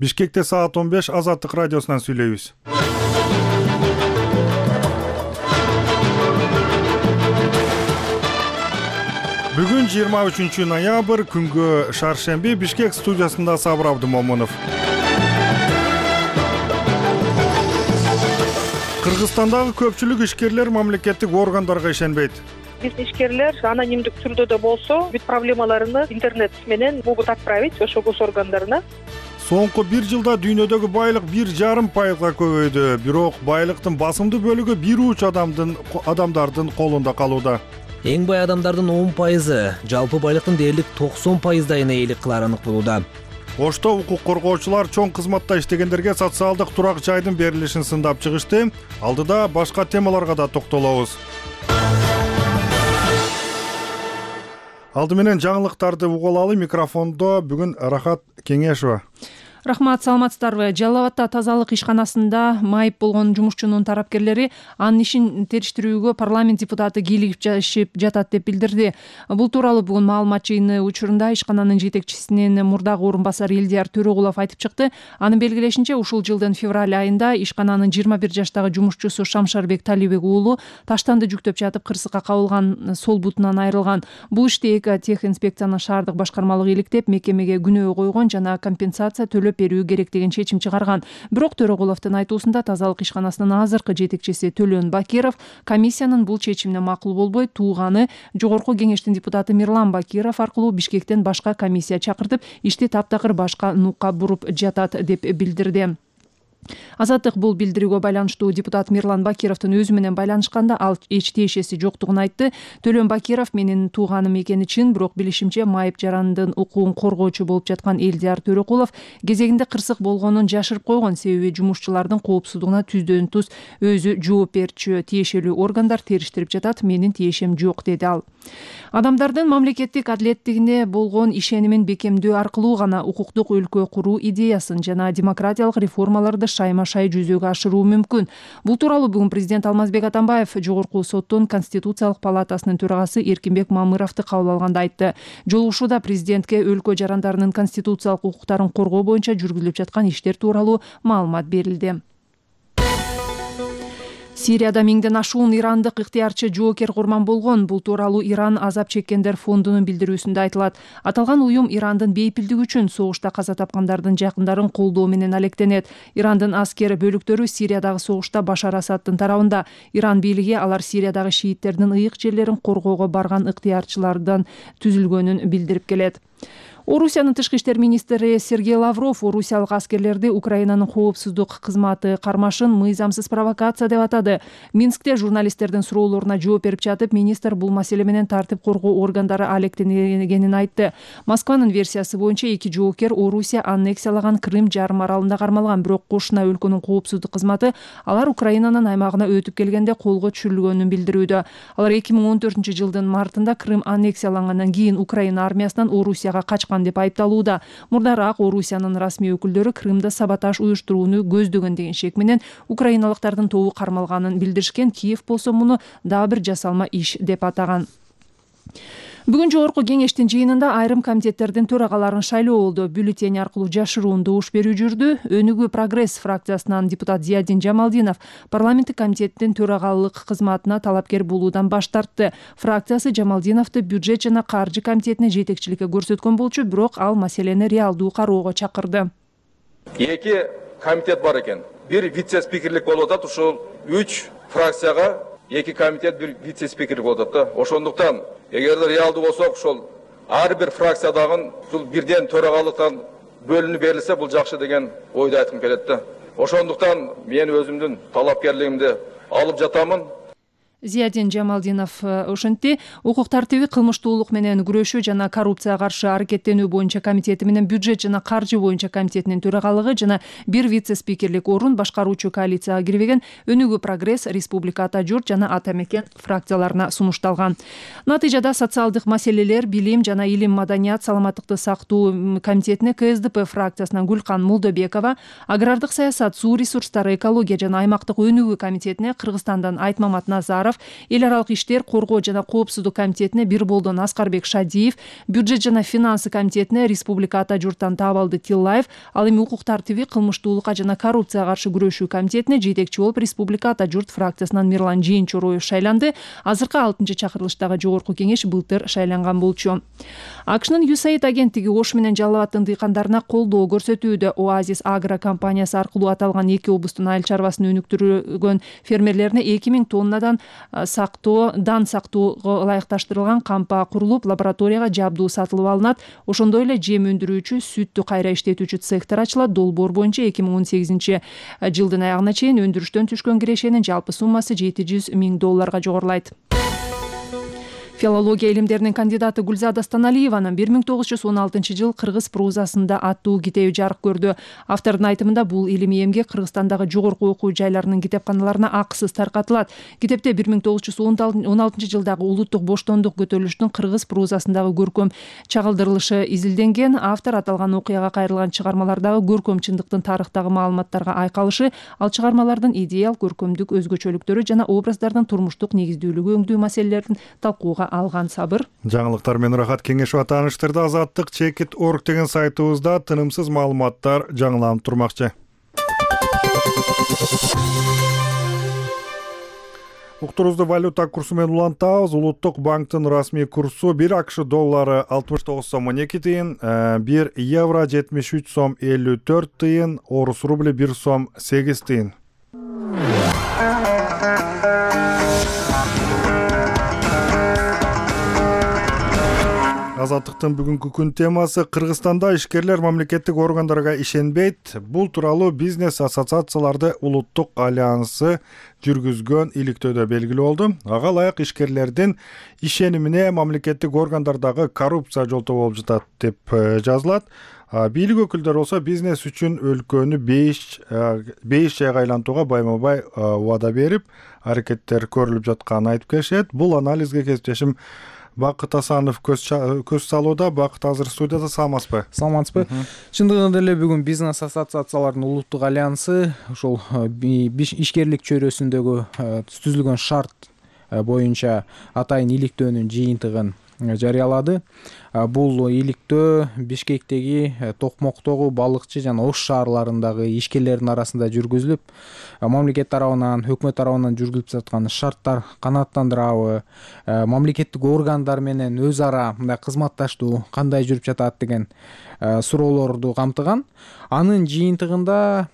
Бишкекте саат 15 Азаттык радиосунан сүйлөйбүз. Бүгүн 23 ноябрь күнгө шаршемби. Бишкек студиясында Сабыр Абдымомунов. Кыргызстандагы көпчүлүк ишкерлер мамлекеттик органдарга ишенбейт. Биз ишкерлер анонимдик түрдө да болсо бүт проблемаларını интернет менен могут отправить ошо госоргандарына. Соңку 1 жылда дүйнөдөгү байлык 1,5% көбөйдү. Бирок байлыктын басымдуу бөлүгү бир уч адамдардын колунда калууда. Эң бай адамдардын 10%, жалпы байлыктын дээрлик 90%дайына ээлик кылары анык болууда. Ошто укук коргоочулар чоң кызматта иштегендерге социалдык турак жайдын берилишин сындап чыгышты. Алдыда башка темаларга да токтолобуз. Алды менен жаңылыктарды угулалы. Микрофондо бүгүн Рахат Кеңешова. Рахмат, саламатсыздарбы? Жалал Абадта тазалык ишканасында майып болгон жумушчунун тарапкерлери анын ишин териштирүүгө парламент депутаты кийлигип жатат деп билдирди. Бул тууралуу бүгүн маалымат жыйыны учурунда ишкананын жетекчисинин мурдагы орун басары Элдияр Төрөгулов айтып чыкты. Анын белгилешинче, ушул жылдын февраль айында ишкананын 21 жаштагы жумушчусу Шамшарбек Талибек уулу таштанды жүктөп жатып кырсыкка кабылган, сол бутунан айрылган. Бул ишти эки тех инспекциянын шаардык башкармалыгы иликтеп, мекемеге күнөө койгон жана компенсация төлөп берүү керек деген чечим чыгарган. Бирок Төрөгуловдун айтуусунда тазалык ишканасынын азыркы жетекчиси Төлөн Бакиров комиссиянын бул чечимине макул болбой, тууганы Жогорку кеңештин депутаты Мирлан Бакиров аркылуу Бишкектен башка комиссия чакыртып, ишти таптакыр башка нукка буруп жатат деп билдирди. Азаттык бул билдирүүгө байланыштуу депутат Мирлан Бакировдун өзү менен байланышканда ал эч тиешеси жоктугун айтты. Төлөн Бакиров менин тууганым экени чын, бирок билишимче майып жарандын укугун коргоочу болуп жаткан Элдияр Төрөкулов кезегинде кырсык болгонун жашырып койгон, себеби жумушчулардын коопсуздугуна түздөн туз өзү жооп берчү. Тиешелүү органдар териштирип жатат, менин тиешем жок, деди ал. Адамдардын мамлекеттик адилеттигине болгон ишенимин бекемдөө аркылуу гана укуктук өлкө куруу идеясын жана демократиялык реформаларды шайма-шай жүзөгө ашыруу мүмкүн. Бул тууралуу бүгүн президент Алмазбек Атамбаев Жогорку соттун Конституциялык палатасынын төрагасы Эркинбек Мамыровду кабыл алганда айтты. Жолугушууда президентке өлкө жарандарынын конституциялык укуктарын коргоо боюнча жүргүзүлүп жаткан иштер тууралуу маалымат берилди. Сирияда миңден ашуун ирандык ыктыярчы жоокер курман болгон. Бул тууралуу Иран азап чеккендер фондунун билдирүүсүндө айтылат. Аталган уюм Ирандын бейпилдиги үчүн согушта каза тапкандардын жакындарын колдоо менен алектенет. Ирандын аскер бөлүктөрү Сириядагы согушта Башар Асаддын тарабында. Иран бийлиги алар Сириядагы шииттердин ыйык жерлерин коргоого барган ыктыярчылардан түзүлгөнүн билдирип келет. Орусиянын тышкы иштер министри Сергей Лавров орусиялык аскерлерди Украинанын коопсуздук кызматы кармашын мыйзамсыз провокация деп атады. Минскте журналисттердин суроолоруна жооп берип жатып, министр бул маселе менен тартип коргоо органдары алектенгенин айтты. Москванын версиясы боюнча эки жоокер Орусия аннексиялаган Крым жарым аралында кармалган, бирок кошуна өлкөнүн коопсуздук кызматы алар Украинанын аймагына өтүп келгенде колго түшүрүлгөнүн билдирүүдө. Алар 2014 жылдын мартында Крым аннексиялангандан кийин Украина армиясынан Орусияга качкан деп айыпталууда. Мурдараак Орусиянын расмий өкүлдөрү Крымда саботаж уюштурууну көздөгөн деген шек менен украиналыктардын тобу кармалганын билдиришкен. Киев болсо муну дагы бир жасалма иш деп атаган. Бүгүн Жогорку кеңештин жыйынында айрым комитеттердин төрагаларын шайлоо болду. Бюллетень аркылуу жашыруун добуш берүү жүрдү. Өнүгүү прогресс фракциясынан депутат Зиядин Жамалдинов парламенттик комитеттин төрагалык кызматына талапкер болуудан баш тартты. Фракциясы Жамалдиновду бюджет жана каржы комитетине жетекчиликке көрсөткөн болчу, бирок ал маселени реалдуу кароого чакырды. Эки комитет бар экен. Бир вице-спикерлик болуп атат. Ушул 3 фракцияга эки комитет, бир вице-спикерлик болуп атат. Ошондуктан эгерде реалдуу болсок, ошол ар бир фракциядагы ушул бирден төрагалыктан бөлүнүп берилсе, бул жакшы деген ойду айткым келет да. Ошондуктан мен өзүмдүн талапкерлигимди алып жатамын. Зиядин Жамалдинов ошентти. Укук тартиби, кылмыштуулук менен күрөшүү жана коррупцияга каршы аракеттенүү боюнча комитети менен бюджет жана каржы боюнча комитетинин төрагалыгы жана бир вице-спикерлик орун башкаруучу коалицияга кирбеген Өнүгүү прогресс, Республика Ата журт жана Ата мекен фракцияларына сунушталган. Натыйжада социалдык маселелер, билим жана илим, маданият, саламаттыкты сактоо комитетине КСДП фракциясынан Гүлкан Молдобекова, агрардык саясат, суу ресурстары, экология жана аймактык өнүгүү комитетине Кыргызстандан Айтмамат Назаров, Сапаров, эл аралык иштер, коргоо жана коопсуздук комитетине Бирболдон Аскарбек Шадиев, бюджет жана финансы комитетине Республика Ата журттан Табалды Тиллаев, ал эми укук тартиби, кылмыштуулукка жана коррупцияга каршы күрөшүү комитетине жетекчи болуп Республика Ата журт фракциясынан Мирлан Жээнчороев шайланды. Азыркы 6-чы чакырылыштагы жогорку кеңеш былтыр шайланган болчу. АКШнын USAID агенттиги Ош менен Жалал Абадтын дыйкандарына колдоо көрсөтүүдө. Оазис Агро компаниясы аркылуу аталган 2 облустун айыл чарбасын өнүктүргөн фермерлерине 2000 тоннадан дан сактоого ылайыкташтырылган кампа курулуп, лабораторияга жабдуу сатылып алынат. Ошондой эле жем өндүрүүчү, сүттү кайра иштетүүчү цехтер ачылат. Долбоор боюнча 2018-жылдын аягына чейин өндүрүштөн түшкөн кирешенин жалпы суммасы $700 000 жогорулайт. Филология илимдеринин кандидаты Гүлзада Станалиеванын 1916-жыл кыргыз прозасында аттуу китеби жарык көрдү. Автордун айтымында бул илимий эмгек Кыргызстандагы жогорку окуу жайларынын китепканаларына акысыз таркатылат. Китепте 1916-жылдагы улуттук боштондук көтөрүлүштүн кыргыз прозасындагы көркөм чагылдырылышы изилденген. Автор аталган окуяга кайрылган чыгармалардагы көркөм чындыктын тарыхтагы маалыматтарга айкалышы, ал чыгармалардын идеал көркөмдүк өзгөчөлүктөрү жана образдардын турмуштук негиздүүлүгү өңдүү маселелерин талкууга алган. Сабыр. Жаңылыктар менен Рахат Кеңешова тааныштырды. Азаттык Чекит.org деген сайтыбызда тынымсыз маалыматтар жаңыланып турмакчы. Уктурубузду валюта курсу менен улантабыз. Улуттук банктын расмий курсу 1 АКШ доллары 69 сом 12 тыйын, 1 евро 73 сом 54 тыйын, орус рубли 1 сом 8 тыйын. Азаттыктын бүгүнкү күн темасы: Кыргызстанда ишкерлер мамлекеттик органдарга ишенбейт. Бул тууралуу бизнес ассоциацияларды улуттук альянсы жүргүзгөн иликтөөдө белгилүү болду. Ага ылайык ишкерлердин ишенимине мамлекеттик органдардагы коррупция жолтоо болуп жатат деп жазылат. Бийлик өкүлдөрү болсо бизнес үчүн өлкөнү бейиш жайга айлантууга байма-бай убада берип, аракеттер көрүлүп жатканын айтып келишет. Бул анализге кесиптешим Бакыт Асанов көз салууда. Бакыт азыр студияда. Саламатсызбы? Саламатсызбы. Чындыгында эле бүгүн бизнес ассоциациялардын улуттук альянсы ошол ишкерлик чөйрөсүндөгү түзүлгөн шарт боюнча атайын иликтөөнүн жыйынтыгын жарыялады. Бул иликтөө Бишкектеги, Токмоктогу, Балыкчы жана Ош шаарларындагы ишкерлердин арасында жүргүзүлүп, мамлекет тарабынан, өкмөт тарабынан жүргүзүлүп жаткан шарттар канааттандырабы, мамлекеттик органдар менен өз ара мындай кызматташтуу кандай жүрүп жатат деген суроолорду камтыган. Анын жыйынтыгында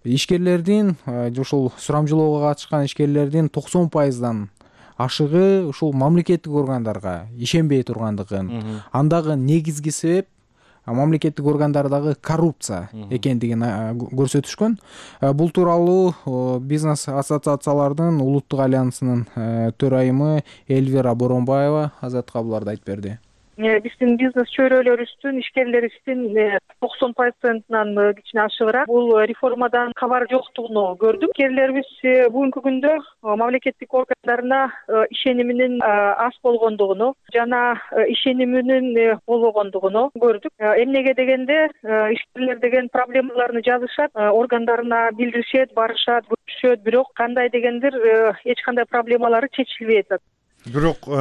ишкерлердин, ошол сурамжылоого катышкан ишкерлердин 90% ашыгы ушул мамлекеттик органдарга ишенбей тургандыгын, андагы негизги себеп мамлекеттик органдардагы коррупция экендигин көрсөтүшкөн. Бул тууралуу бизнес ассоциациялардын улуттук альянсынын төрайымы Эльвира Боронбаева Азаттыкка буларды айтып берди. Биздин бизнес чөйрөлөрүбүздүн ишкерлерибиздин 90%-нан кичине ашыгыраак бул реформадан кабар жоктугун көрдүм. Ишкерлерибиз бүгүнкү күндө мамлекеттик органдарына ишениминин аз болгондугуну жана ишениминин болбогондугуну көрдүк. Эмнеге дегенде ишкерлер деген проблемаларını жазышат, органдарына билдиришет, барышат, көрүшөт, бирок кандай дегендир эч кандай проблемалары чечилбей атат. Бирок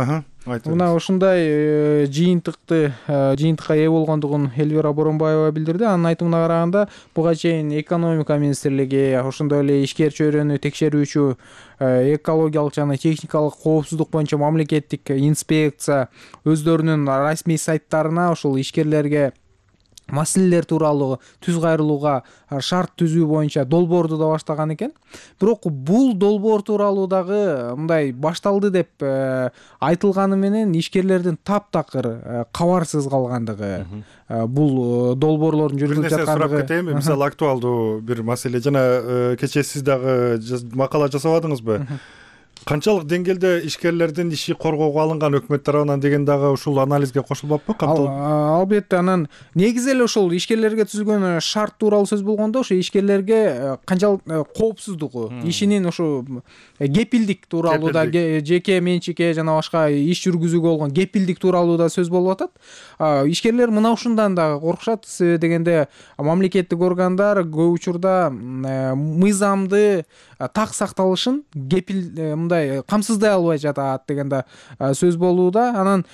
мына ушундай жыйынтыкка ээ болгондугун Эльвира Боронбаева билдирди. Анын айтымына караганда, буга чейин экономика министрлиги, ошондой эле ишкер чөйрөнү текшерүүчү экологиялык жана техникалык коопсуздук боюнча мамлекеттик инспекция өздөрүнүн расмий сайттарына ошол ишкерлерге маселелер тууралуу түз кайрылууга шарт түзүү боюнча долбоорду да баштаган экен. Бирок бул долбоор тууралуу дагы мындай башталды деп айтылганы менен ишкерлердин таптакыр кабарсыз калгандыгы, бул долбоорлордун жүргүзүлүп жаткандыгы. Сурап кетейинби? Мисалы, актуалдуу бир маселе, жана кечээ сиз дагы макала жасабадыңызбы? Канчалык деңгээлде ишкерлердин иши коргоого алынган өкмөт тарабынан деген дагы ушул анализге кошулбаппы? Албетте, анан негизи эле ошол ишкерлерге түзүлгөн шарт тууралуу сөз болгондо, ошо ишкерлерге канчалык коопсуздугу, ишинин ошо кепилдик тууралуу да, жеке менчикке жана башка иш жүргүзүүгө болгон кепилдик тууралуу да сөз болуп атат. Ишкерлер мына ушундан да коркушат, себеби дегенде мамлекеттик органдар көп учурда мыйзамды так сакталышын, мындай камсыздай албай жатат деген да сөз болууда. Анан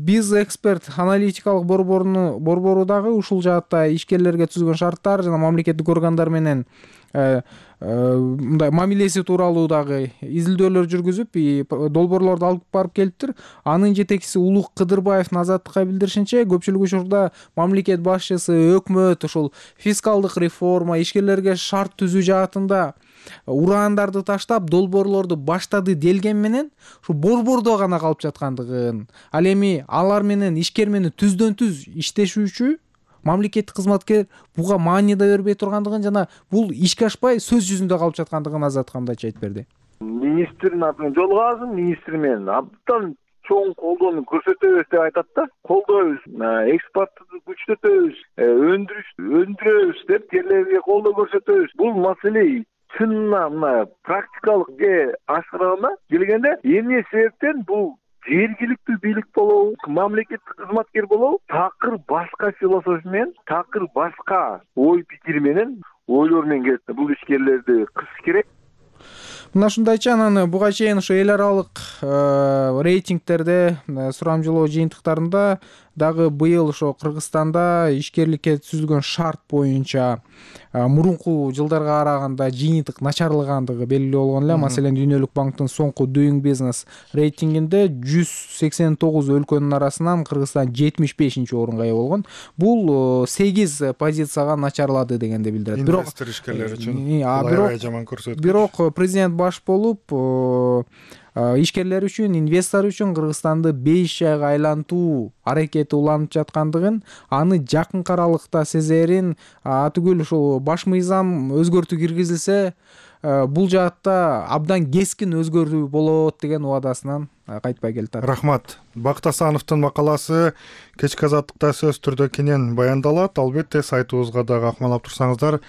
биз эксперт аналитикалык борбору дагы ушул жаатта ишкерлерге түзгөн шарттар жана мамлекеттик органдар менен мындай мамилеси тууралуу дагы изилдөөлөр жүргүзүп долбоорлорду алып барып келиптир. Анын жетекчиси Улук Кыдырбаевдин Азаттыкка билдиришинче, көпчүлүк учурда мамлекет башчысы, өкмөт ушул фискалдык реформа, ишкерлерге шарт түзүү жаатында ураандарды таштап, долбоорлорду баштады делген менен ушу борбордо гана калып жаткандыгын, ал эми алар менен ишкер менен түздөн түз иштешүүчү мамлекеттик кызматкер буга маани да бербей тургандыгын жана бул ишке ашпай сөз жүзүндө калып жаткандыгын Азаттыкка мындайча айтып берди. Министрдин атын жолго алсын, министр менен абдан чоң колдоону көрсөтөбүз деп айтат да. Колдойбуз, экспортту күчтөтөбүз, өндүрөбүз деп жерлерге колдоо көрсөтөбүз. Бул маселе чынына мына практикалык ашкарганда келгенде эмне себептен бул жергиликтүү бийлик болобу, мамлекеттик кызматкер болобу, такыр башка философия менен, такыр башка ой пикир менен, ойлор менен келет. Бул ишкерлерди кысыш керек. Мына ушундайча, анан буга чейин ошо эл аралык рейтингтерде, сурамжылоо жыйынтыктарында дагы быйыл ошо Кыргызстанда ишкерликке түзүлгөн шарт боюнча мурунку жылдарга караганда жыйынтык начарлагандыгы белгилүү болгон эле. Маселен, Дүйнөлүк банктын соңку Doing Business рейтингинде 189 өлкөнүн арасынан Кыргызстан 75-орунга ээ болгон. Бул 8 позицияга начарлады дегенди билдирет. Инвестор ишкерлер үчүн аябай жаман көрсөткүч. Бирок президент баш болуп ишкерлер үчүн, инвестор үчүн Кыргызстанды 5 жайга айлантуу аракети уланып жаткандыгын, аны жакынкы аралыкта сезерин, атүгүл ушул баш мыйзам өзгөртүү киргизилсе, бул жаатта абдан кескин өзгөрүү болот деген убадасынан кайтпай келатат. Рахмат. Бакыт Асановдун макаласы кечки Азаттыкта сөз түрдө кенен баяндалат. Албетте сайтыбызга дагы акмалап турсаңыздар,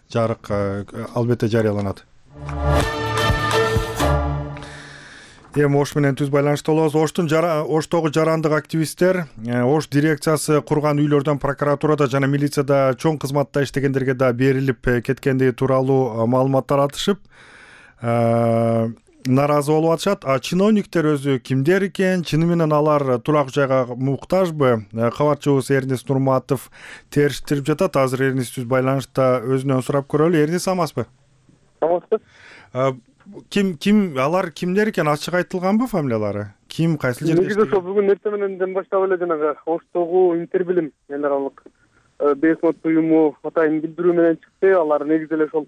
жарык албетте жарыяланат. Эми Ош менен түз байланышта болобуз. Оштогу жарандык активисттер Ош дирекциясы курган үйлөрдөн прокуратурада жана милицияда чоң кызматта иштегендерге да берилип кеткендиги тууралуу маалыматтар атышып, нааразы болуп атышат. А чиновниктер өзү кимдер экен, чыны менен алар турак жайга муктажбы? Кабарчыбыз Эрнис Нурматов териштирип жатат. Азыр Эрнис түз байланышта өзүнөн сурап көрөлү. Эрнис, амасызбы? Амансыз. Алар кимдер экен, ачык айтылганбы фамилиялары? Ким, кайсы жерде? Негизи ошо бүгүн эртең мененден баштап эле жанагы Оштогу Интербилим эл аралык бейсмот уюму атайын билдирүү менен чыкты. Алар негизи эле ошол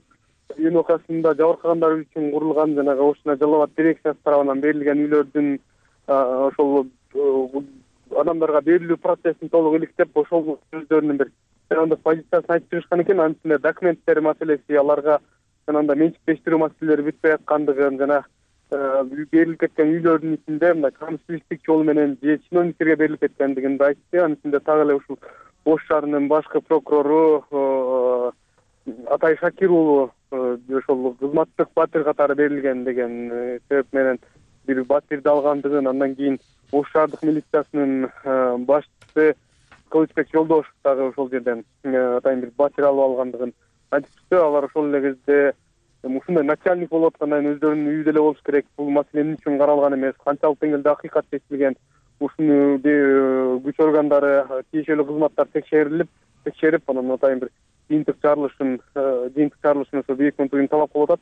ЮНОКасында жабыркагандар үчүн курулган жанагы Ош Жалал Абад дирекциясы тарабынан берилген үйлөрдүн ошол адамдарга берилүү процессин толук иликтеп, ошол өздөрүнүн бир позициясын айтып чыгышкан экен. Анын ичинде документтер маселеси, аларга жанагы менчиктештирүү маселелери бүтпөй аткандыгын жана берилип кеткен үйлөрдүн ичинде мындай камсыздык жолу менен же чиновниктерге берилип кеткендигин да айтты. Анын ичинде так эле ушул Ош шаарынын башкы прокурору Атай Шакир уулу ошол кызматтык батир катары берилген деген себеп менен бир батирди алгандыгын, андан кийин Ош шаардык милициясынын башчысы Кылычбек Жолдошев дагы ошол жерден атайын бир батир алып алгандыгын айтып чыкты. Алар ошол эле кезде ушундай начальник болуп аткандан кийин өздөрүнүн үйүндө эле болуш керек. Бул маселе эмне үчүн каралган эмес, канчалык деңгээлде акыйкат чечилген, ушуну күч органдары, тиешелүү кызматтар текшерип, анан атайын бир жыйынтык чыгарылышын ошо бийик мынтыгын талап кылып атат.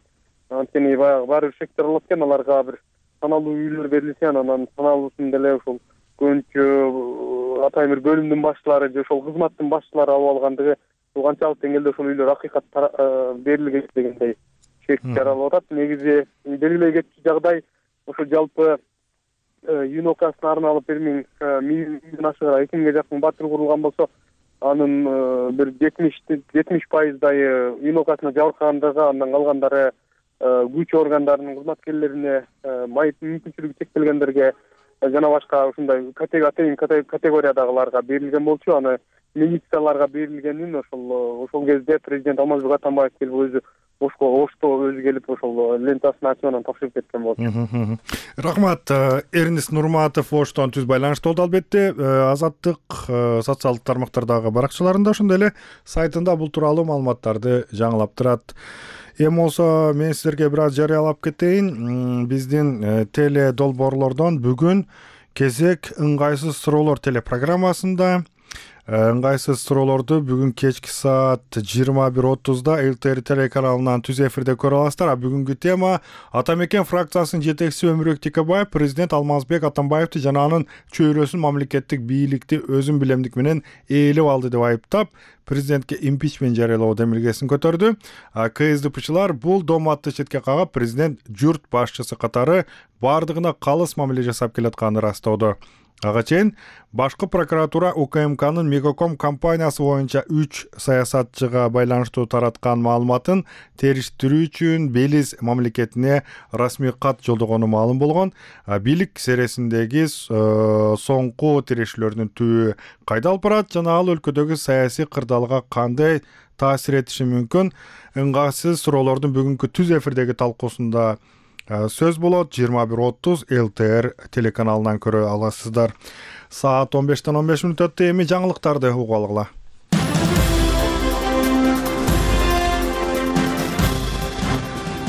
Анткени баягы баары бир шектер болот экен, аларга бир саналуу үйлөр берилсе, анан саналуусун деле ошол көбүнчө атайын бир бөлүмдүн башчылары же ошол кызматтын башчылары алып алгандыгы, канчалык деңгээлде ошол үйлөр акыйкат берилген дегендей шек жаралып атат. Негизи белгилей кетчү жагдай ошо жалпы ЮНОКасына арналып 1000 ашыгыраак 2000ге жакын батир курулган болсо, анын бир 70% ЮНОКасына жабыркагандыгы, андан калгандары күч органдарынын кызматкерлерине, мүмкүнчүлүгү чектелгендерге жана башка ушундай категориядагыларга берилген болчу. Аны милицияларга берилгенин ошол кезде президент Алмазбек Атамбаев келип өзү Ошто өзү келип ошол лентасын ачып анан тапшырып кеткен болчу. Рахмат. Эрнис Нурматов Оштон түз байланышта болду. Албетте Азаттык социалдык тармактардагы баракчаларында ошондой эле сайтында бул тууралуу маалыматтарды жаңылап турат. Эми болсо мен силерге бир аз жарыялап кетейин. Биздин теле долбоорлордон бүгүн кезек ыңгайсыз суроолор телепрограммасында ыңгайсыз суроолорду бүгүн кечки саат 21:30 ЛТР телеканалынан түз эфирде көрө аласыздар. Бүгүнкү тема Атамекен фракциясынын жетекчиси Өмүрбек Текебаев президент Алмазбек Атамбаевди жана анын чөйрөсүн мамлекеттик бийликти өзүн билемдик менен ээлеп алды деп айыптап, президентке импичмент жарыялоо демилгесин көтөрдү. КСДПчылар бул дооматты четке кагып, президент журт башчысы катары бардыгына калыс мамиле жасап келатканын ырастоодо. Ага чейин башкы прокуратура УКМКнын Мегаком компаниясы боюнча 3 саясатчыга байланыштуу тараткан маалыматын териштирүү үчүн Белиз мамлекетине расмий кат жолдогону маалым болгон. Бийлик сересиндеги соңку тирешүүлөрдүн түбү кайда алып барат жана ал өлкөдөгү саясий кырдаалга кандай таасир этиши мүмкүн? Ыңгайсыз суроолордун бүгүнкү түз эфирдеги талкуусунда сөз болот. 21:30 ЛТР телеканалынан көрө аласыздар. Саат 15-тен 15 мүнөт өттү. Эми жаңылыктарды угуп алгыла.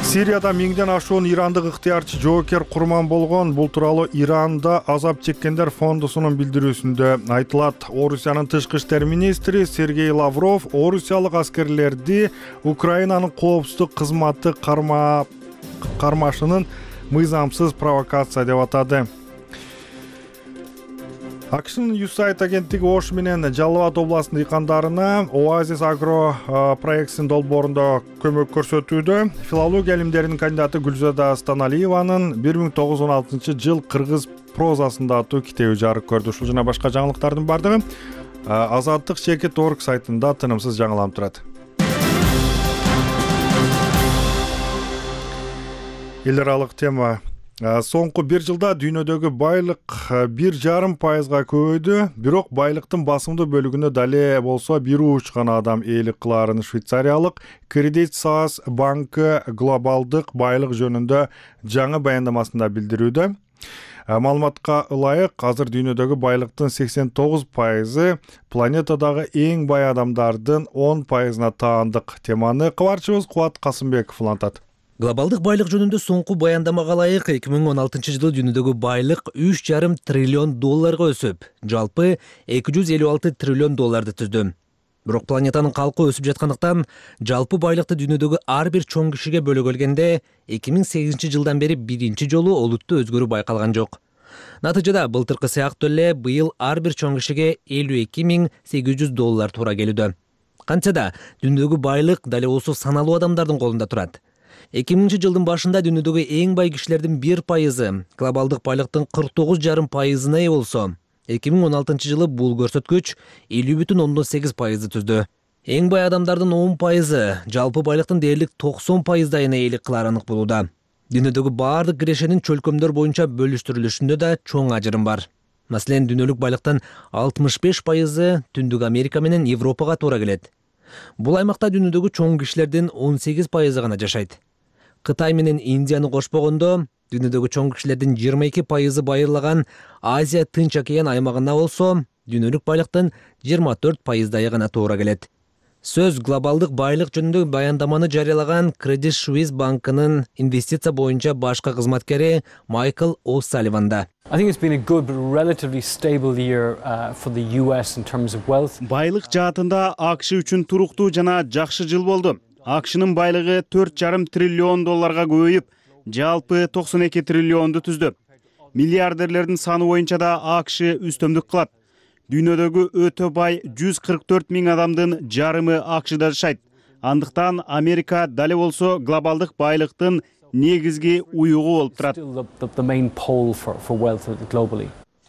Сирияда миңден ашуун ирандык ыктыярчы жоокер курман болгон. Бул тууралуу Иранда азап чеккендер фондусунун билдирүүсүндө айтылат. Орусиянын тышкы иштер министри Сергей Лавров орусиялык аскерлерди Украинанын коопсуздук кызматы кармашынын мыйзамсыз провокация деп атады. АКШнын USAID агенттиги Ош менен Жалал Абад областынын дыйкандарына Оазис агро проектисинин долбоорунда көмөк көрсөтүүдө. Филология илимдеринин кандидаты Гүлзада Станалиеванын 1916-жыл кыргыз прозасында аттуу китеби жарык көрдү. Ушул жана башка жаңылыктардын бардыгы Азаттык.org сайтында тынымсыз жаңыланып турат. Эл аралык тема. Соңку 1 жылда дүйнөдөгү байлык 1,5% көбөйдү. Бирок байлыктын басымдуу бөлүгүнө дале болсо 1 гана адам ээлик кылаарын Швейцариялык Credit Suisse банкы глобалдык байлык жөнүндө жаңы баяндамасында билдирүүдө. Маалыматка ылайык, азыр дүйнөдөгү байлыктын 89% планетадагы эң бай адамдардын 10%-на таандык. Теманы кабарчыбыз Кубат Касымбеков улантат. Глобалдык байлык жөнүндө соңку баяндамага ылайык 2016-жылы дүйнөдөгү байлык 3,5 триллион долларга өсүп, жалпы 256 триллион долларды түздү. Бирок планетанын калкы өсүп жаткандыктан, жалпы байлыкты дүйнөдөгү ар бир чоң кишиге бөлгөлгөндө 2008-жылдан бери биринчи жолу олуттуу өзгөрүү байкалган жок. Натыйжада былтыркы сыяктуу эле быйыл ар бир чоң кишиге 52.800 доллар туура келүүдө. Кантса да дүйнөдөгү байлык дале болсо саналуу адамдардын колунда турат. 2000-жылдын башында дүйнөдөгү эң бай кишилердин 1%, глобалдык байлыктын 49,5%-на ээ болсо, 2016-жылы бул көрсөткүч 50,8% түздү. Эң бай адамдардын 10%, жалпы байлыктын дээрлик 90%-дайына ээлик кылары анык болууда. Дүйнөдөгү баардык кирешенин чөлкөмдөр боюнча бөлүштүрүлүшүндө да чоң ажырым бар. Маселен, дүйнөлүк байлыктын 65% Түндүк Америка менен Европага туура келет. Бул аймакта дүйнөдөгү чоң кишилердин 18% гана жашайт. Кытай менен Индияны кошпогондо, дүйнөдөгү чоң кишилердин 22% байырлаган Азия Тынч океан аймагына болсо, дүйнөлүк байлыктын 24%-дайы гана туура келет. Сөз глобалдык байлык жөнүндө баяндаманы жарыялаган Credit Suisse банкынын инвестиция боюнча башкы кызматкери Майкл О'Салливанда. I think it's been a good but relatively stable year for the US in terms of wealth. Байлык жаатында АКШ үчүн туруктуу жана жакшы жыл болду. АКШнын байлыгы 4,5 триллион долларга көбөйүп, жалпы 92 триллионду түздү. Миллиардерлердин саны боюнча да АКШ үстөмдүк кылат. Дүйнөдөгү өтө бай 144 миң адамдын жарымы АКШда жашайт. Андыктан Америка дале болсо глобалдык байлыктын негизги уюгу болуп турат.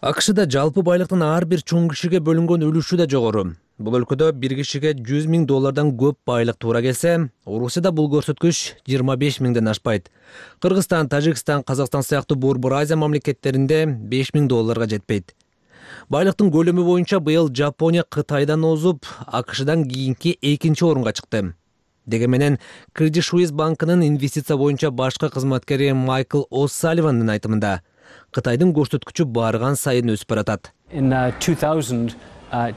АКШда жалпы байлыктын ар бир чоң кишиге бөлүнгөн үлүшү да жогору. Бул өлкөдө бир кишиге 100 миң доллардан көп байлык туура келсе, Орусияда бул көрсөткүч 25 миңден ашпайт. Кыргызстан, Тажикстан, Казакстан сыяктуу Борбор Азия мамлекеттеринде 5 миң долларга жетпейт. Байлыктын көлөмү боюнча быйыл Жапония Кытайдан озуп, АКШдан кийинки 2-орунга чыкты. Дегенменен Credit Suisse банкынын инвестиция боюнча башкы кызматкери Майкл О'Салливандын айтымында, Кытайдын көрсөткүчү барган сайын өсүп баратат. In 2000,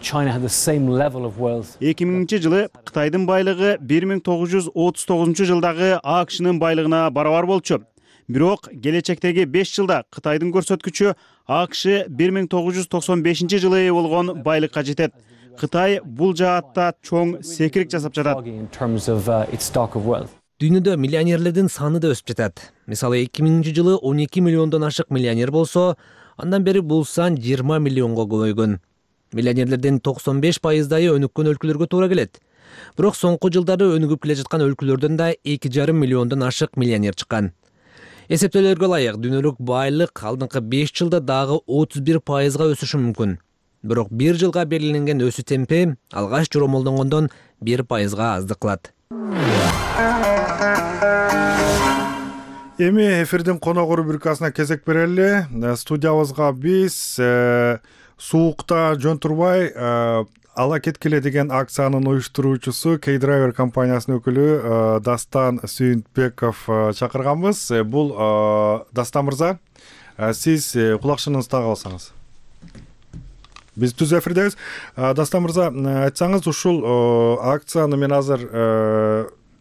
China had the same level of wealth. 2000-жылы Кытайдын байлыгы 1939 жылдагы АКШнын байлыгына барабар болчу. Бирок келечектеги 5 жылда Кытайдын көрсөткүчү АКШ 1995-жылы болгон байлыкка жетет. Кытай бул жаатта чоң секирик жасап жатат. In terms of its stock of wealth. Дүйнөдө миллионерлердин саны да өсүп жатат. Мисалы 2000-жылы 12 миллиондон ашык миллионер болсо, андан бери бул сан 20 миллионго көбөйгөн. Миллионерлердин 95%-ы өнүккөн өлкөлөргө туура келет. Бирок соңку жылдары өнүгүп келе жаткан өлкөлөрдөн да 2,5 миллиондон ашык миллионер чыккан. Эсептөөлөргө ылайык, дүйнөлүк байлык алдыңкы 5 жылда дагы 31%-га өсүшү мүмкүн. Бирок 1 жылга белгиленген өсүү темпи алгач жоромолдонгондон 1%-га аздык кылат. Эми эфирдин конок рубрикасына кезек берели. Студиябызга биз суукта жөн турбай ала кеткиле деген акциянын уюштуруучусу K-Driver компаниясынын өкүлү Дастан Сүйүнтбеков чакырганбыз. Бул Дастан мырза, сиз кулакчыныңызды тагып алсаңыз. Биз түз эфирдебиз. Дастан мырза, айтсаңыз, ушул акцияны мен азыр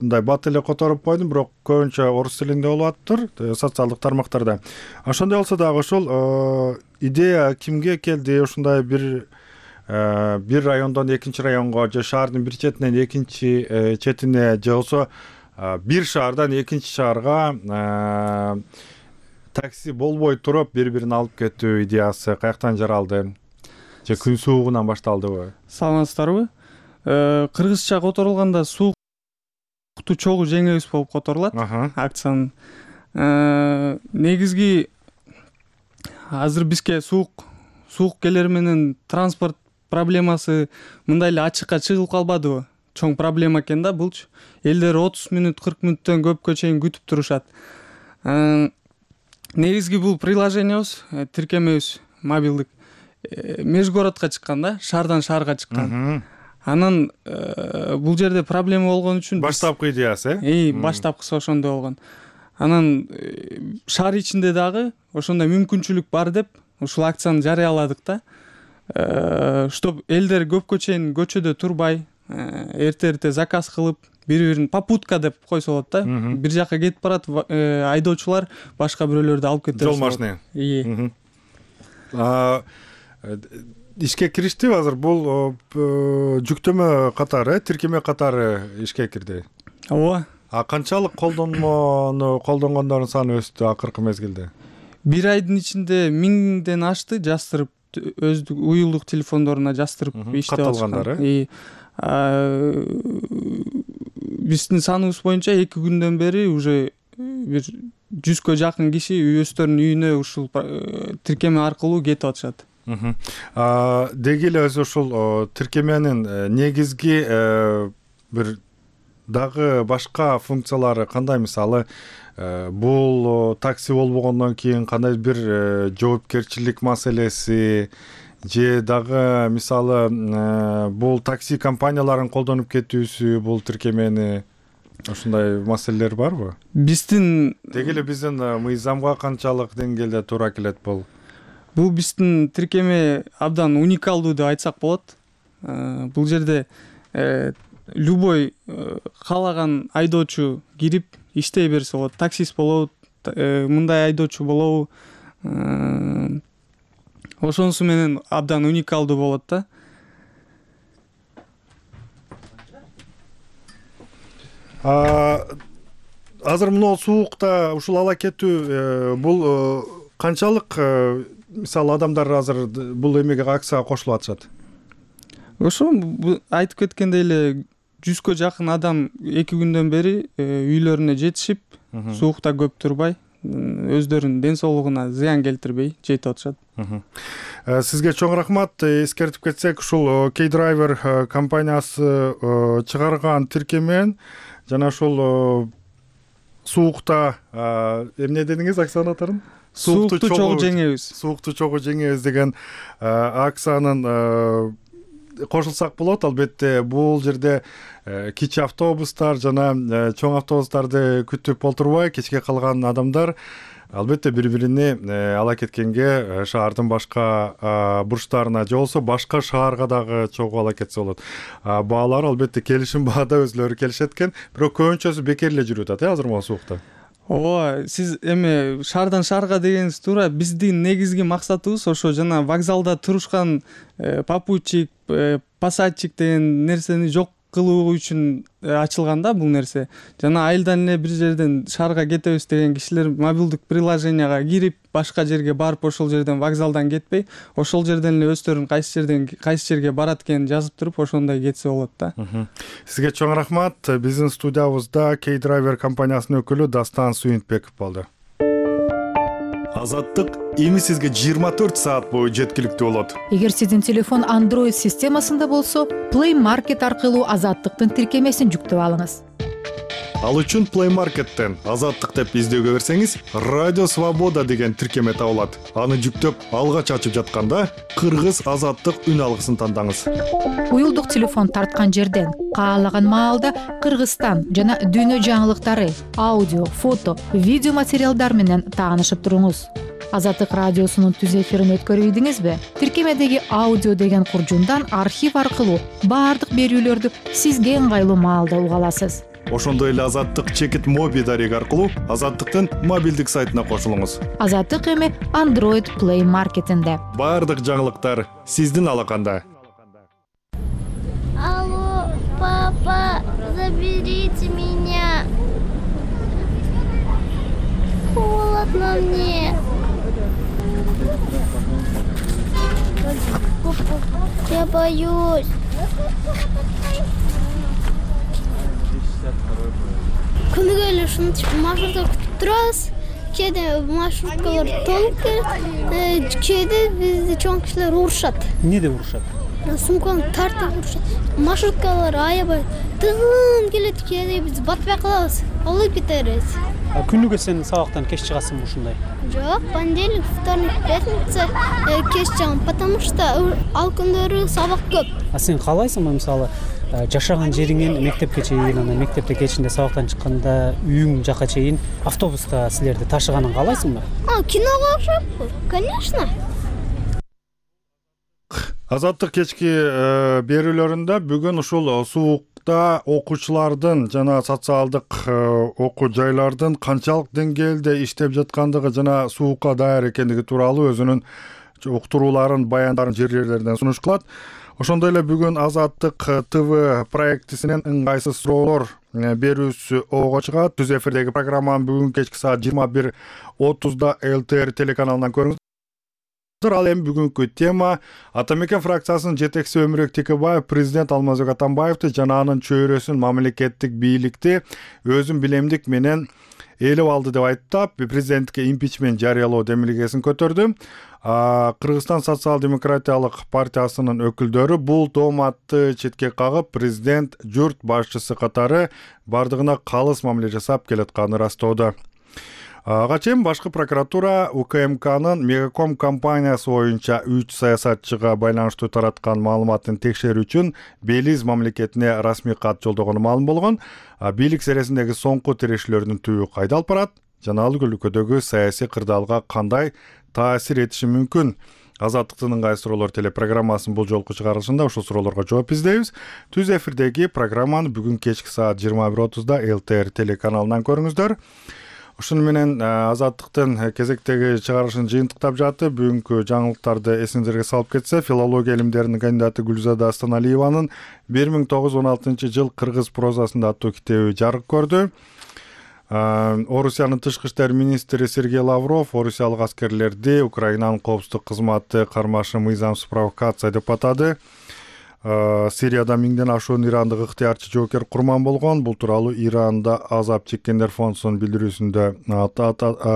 мындай бат эле которуп койдум, бирок көбүнчө орус тилинде болуп атыптыр, социалдык тармактарда. Ошондой болсо дагы ошол идея кимге келди? Ушундай бир райондон экинчи районго, же шаардын бир четинен экинчи четине, же болсо бир шаардан экинчи шаарга такси болбой туруп бири-бирин алып кетүү идеясы каяктан жаралды? Же күн суугунан башталдыбы? Саламатсыздарбы? Кыргызча которулганда суукту чогуу жеңебиз болуп которулат акциянын. Негизги азыр бизге суук келери менен транспорт проблемасы мындай эле ачыкка чыгылып калбадыбы? Чоң проблема экен да булчу. Элдер 30 мүнөт, 40 мүнөттөн көпкө чейин күтүп турушат. Негизги бул приложениябыз, тиркемебиз мобилдик межгородко чыккан да, шаардан шаарга чыккан. Анан бул жерде проблема болгон үчүн баштапкы идеясы, баштапкысы ошондой болгон. Анан шаар ичинде дагы ошондой мүмкүнчүлүк бар деп ушул акцияны жарыяладык да. Чтоб элдер көпкө чейин көчөдө турбай, эрте заказ кылып, бири-бирин попутка деп койсо болот да. Бир жака кетип барат, айдоочулар башка бирөөлөрдү алып кетет. Жол машина. Ишке кириштиби азыр? Бул жүктөмө катары, тиркеме катары ишке кирди. Ооба. Канчалык колдонгондордун саны өстү акыркы мезгилде? Бир айдын ичинде 1000ден ашты, жастырып өздүк уюлдук телефондоруна жастырып иштеп катталгандары. Биздин саныбыз боюнча 2 күндөн бери уже бир 100кө жакын киши өздөрүнүн үйүнө ушул тиркеме аркылуу кетип атышат. Деги эле өзү ушул тиркеменин негизги бир дагы башка функциялары кандай? Мисалы, бул такси болбогондон кийин кандай бир жоопкерчилик маселеси, же дагы мисалы бул такси компанияларын колдонуп кетүүсү, бул тиркемени, ошондой маселелер барбы? Биздин деги эле биздин мыйзамга канчалык деңгээлде туура келет бул? Бул биздин тиркеме абдан уникалдуу деп айтсак болот. Бул жерде любой каалаган айдоочу кирип иштей берсе болот. Таксист болобу, мындай айдоочу болобу, ошонусу менен абдан уникалдуу болот да. Азыр мына суукта ушул ала кетүү бул канчалык, мисалы, адамдар азыр бул эмеге, акцияга кошулуп атышат? Ошо айтып кеткендей эле 100кө жакын адам 2 күндөн бери үйлөрүнө жетишип, суукта көп турбай, өздөрүнүн ден соолугуна зыян келтирбей жетип атышат. Сизге чоң рахмат. Эскертип кетсек, ушул K-Driver компаниясы чыгарган тиркемен жана ушул суукта эмне дедиңиз акциянын атын? суукту чогуу жеңебиз. Суукту чогуу жеңебиз деген акциянын кошулсак болот. Албетте бул жерде кичи автобустар жана чоң автобустарды күтүп отурбай кечке калган адамдар албетте бири-бирине ала кеткенге шаардын башка бурчтарына же болбосо башка шаарга дагы чогуу ала кетсе болот. Баалар албетте келишим баада өзлөрү келишет экен, бирок көбүнчөсү бекер эле жүрүп атат азыр могу суукта. Ооба, сиз эми шаардан шаарга дегениңиз туура. Биздин негизги максатыбыз ошо жана вокзалда турушкан попутчик, пассажирчик деген нерсени жок кылуу үчүн ачылган да бул нерсе. Жана айылдан эле бир жерден шаарга кетебиз деген кишилер мобилдик приложенияга кирип, башка жерге барып ошол жерден вокзалдан кетпей, ошол жерден эле өздөрүн кайсы жерге барат экенин жазып туруп, ошондой кетсе болот да. Сизге чоң рахмат. Биздин студиябызда K-Driver компаниясынын өкүлү Дастан Сүйүнтбеков болду. Азаттык эми сизге 24 саат бою жеткиликтүү болот. Эгер сиздин телефон Android системасында болсо, Play Market аркылуу Азаттыктын тиркемесин жүктөп алыңыз. Ал үчүн Play Market'тен Азаттык деп издөөгө берсеңиз, Радио Свобода деген тиркеме табылат. Аны жүктөп, алгач ачып жатканда Кыргыз Азаттык үн алгысын тандаңыз. Уюлдук телефон тарткан жерден каалаган маалда Кыргызстан жана дүйнө жаңылыктары, аудио, фото, видео материалдар менен таанышып туруңуз. Азаттык радиосунун түз эфирин өткөрүп ийдиңизби? Тиркемедеги аудио деген куржундан архив аркылуу баардык берүүлөрдү сизге ыңгайлуу маалда уга аласыз. Ошондой эле Азаттык чекит моби дареги аркылуу Азаттыктын мобилдик сайтына кошулуңуз. Азаттык эми Android Play Market'инде. Баардык жаңылыктар сиздин алаканда. Алло, папа, заберите меня. Холодно мне. Я боюсь. Күнүгө эле ушинтип маршрутка күтүп турабыз. Кээде маршруткалар толуп келет, кээде бизди чоң кишилер урушат. Эмне деп урушат? Сумканы тартып урушат. Маршруткалар аябай тыгын келет, кээде биз батпай калабыз, алып кетебиз. Күнүгө сен сабактан кеч чыгасыңбы ушундай? Жок, понедельник, вторник, пятница кеч чыгам, потому что ал күндөрү сабак көп. Сен каалайсыңбы мисалы жашаган жериңен мектепке чейин, анан мектепте кечинде сабактан чыкканда үйүң жака чейин автобуста силерди ташыганын каалайсыңбы? Киного окшоп, конечно. Азаттык кечки берүүлөрүндө бүгүн ушул суукта окуучулардын жана социалдык окуу жайлардын канчалык деңгээлде иштеп жаткандыгы жана суукка даяр экендиги тууралуу өзүнүн уктурууларын, баяндарын жерлерден сунуш кылат. Ошондой эле бүгүн Азаттык ТВ проектисинен ыңгайсыз суроолор берүүсү ого чыгат. Түз эфирдеги программаны бүгүн кечки саат 21:30 ЛТР телеканалынан көрүңүз. Ал эми бүгүнкү тема Атамекен фракциясынын жетекчиси Өмүрөк Текебаев президент Алмазбек Атамбаевди жана анын чөйрөсүн мамлекеттик бийликти өзүн билемдик менен ээлеп алды деп айттап, президентке импичмент жарыялоо демилгесин көтөрдү. Кыргызстан социал-демократиялык партиясынын өкүлдөрү бул тооматты четке кагып, президент журт башчысы катары бардыгына калыс мамиле жасап келатканын ырастоодо. Ага чейин башкы прокуратура УКМКнын Мегаком компаниясы боюнча 3 саясатчыга байланыштуу тараткан маалыматын текшерүү үчүн Белиз мамлекетине расмий кат жолдогону маалым болгон. Бийлик сересиндеги соңку тирешүүлөрдүн түбү кайда алып барат? Жана ал өлкөдөгү саясий кырдаалга кандай таасир этиши мүмкүн? Азаттыктын ыңгайсыз суроолор телепрограммасынын бул жолку чыгарылышында ушул суроолорго жооп издейбиз. Түз эфирдеги программаны бүгүн кечки саат 21:30 ЛТР телеканалынан көрүңүздөр. Ушуну менен Азаттыктын кезектеги чыгарылышын жыйынтыктап жатты. Бүгүнкү жаңылыктарды эсиңиздерге салып кетсе, филология илимдеринин кандидаты Гүлзада Астаналиеванын 1916-жыл кыргыз прозасында аттуу китеби жарык көрдү. Орусиянын тышкы иштер министри Сергей Лавров орусиялык аскерлерди Украинанын коопсуздук кызматы кармашы мыйзамсыз провокация деп атады. Сирияда 1000ден ашуун ирандык ыктыярчы жоокер курман болгон. Бул тууралуу Иранда азап чеккендер фондунун билдирүүсүндө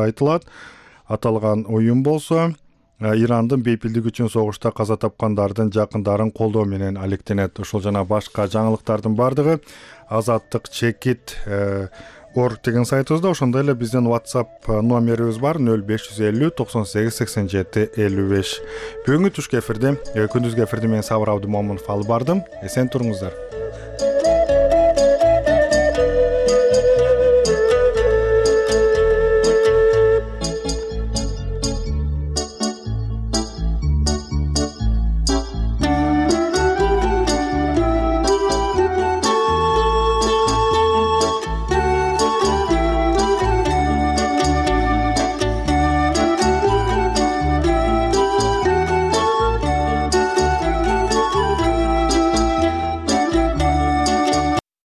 айтылат. Аталган уюм болсо Ирандын бейпилдик үчүн согушта каза тапкандардын жакындарын колдоо менен алектенет. Ошол жана башка жаңылыктардын бардыгы Азаттык чекит org деген сайтыбызда, ошондой эле биздин WhatsApp номерибиз бар 0550 98 87 55. Бүгүнкү түшкү эфирде, күндүзгү эфирде мен Сабыр Абдымомунов алып бардым. Эсен туруңуздар.